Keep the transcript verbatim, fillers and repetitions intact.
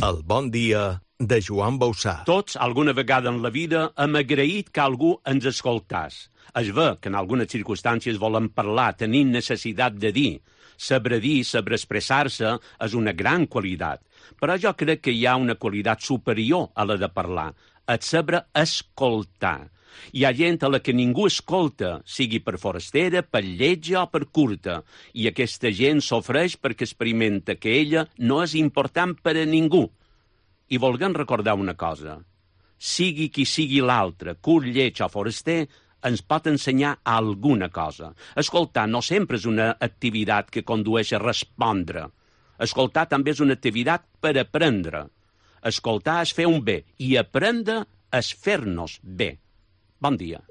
El bon dia de Joan Bauçà. Tots, alguna vegada en la vida, hem agraït que algú ens escoltàs. Es ve que en algunes circumstàncies volem parlar, tenim necessitat de dir. Saber dir, saber expressar-se és una gran qualitat. Però jo crec que hi ha una qualitat superior a la de parlar, el saber escoltar. Hi ha gent a la que ningú escolta, sigui per forastera, per lletja o per curta, i aquesta gent sofreix perquè experimenta que ella no és important per a ningú. I volguem recordar una cosa. Sigui qui sigui l'altre, curt, lleig o foraster, ens pot ensenyar alguna cosa. Escoltar no sempre és una activitat que condueix a respondre. Escoltar també és una activitat per aprendre. Escoltar és fer un bé i aprendre és fer-nos bé. Bon dia.